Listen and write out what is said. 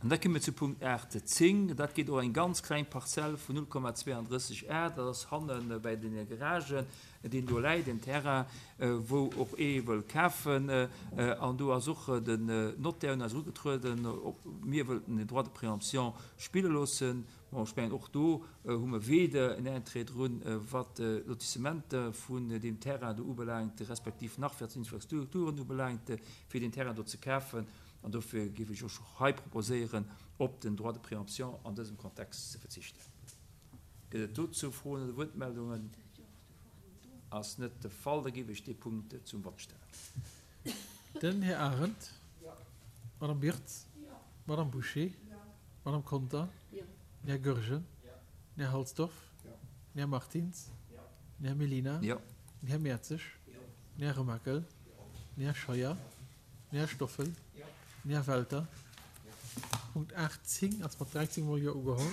An da komme mir zu Punkt 8, 10. Dat geet och eng ganz kleng Parzell vun 0,32 Ar. Dat ass hanne bäi deene Garagen, deen do läit, en Terrain, wou och ee wëll kafen. An do ass och den Notaire un eis erugetrueden, ob mir wëllten den Droit de préemption spille loossen. Bon, ech mengen, och do hu mer weder en Interêt drun, wat d'Lotissementer vun deem Terrain do ubelaangt, respektiv nach wat d'Infrastrukturen ubelaangt, fir deen Terrain do ze kafen. An dofir géif ech och hei proposéieren, op den Droit de préemption an dësem Kontext ze verzichten. Gëtt et dozou Froen oder Wuertmeldungen? Ass net de Fall. Da géif ech dee Punkt zum Vott stellen. Den Här Arendt. D'Madame Birtz. D'Madame Bouché. D'Madame Conter. Den Här Goergen. Den Här Halsdorf. Den Här Martins. Den Här Mellina. Den Här Mertzig. Den Här Remakel. Den Här Scheuer. Den Här Stoffel. Den Här Welter. Punkt 18 ass mat 13 mol Jo ugeholl.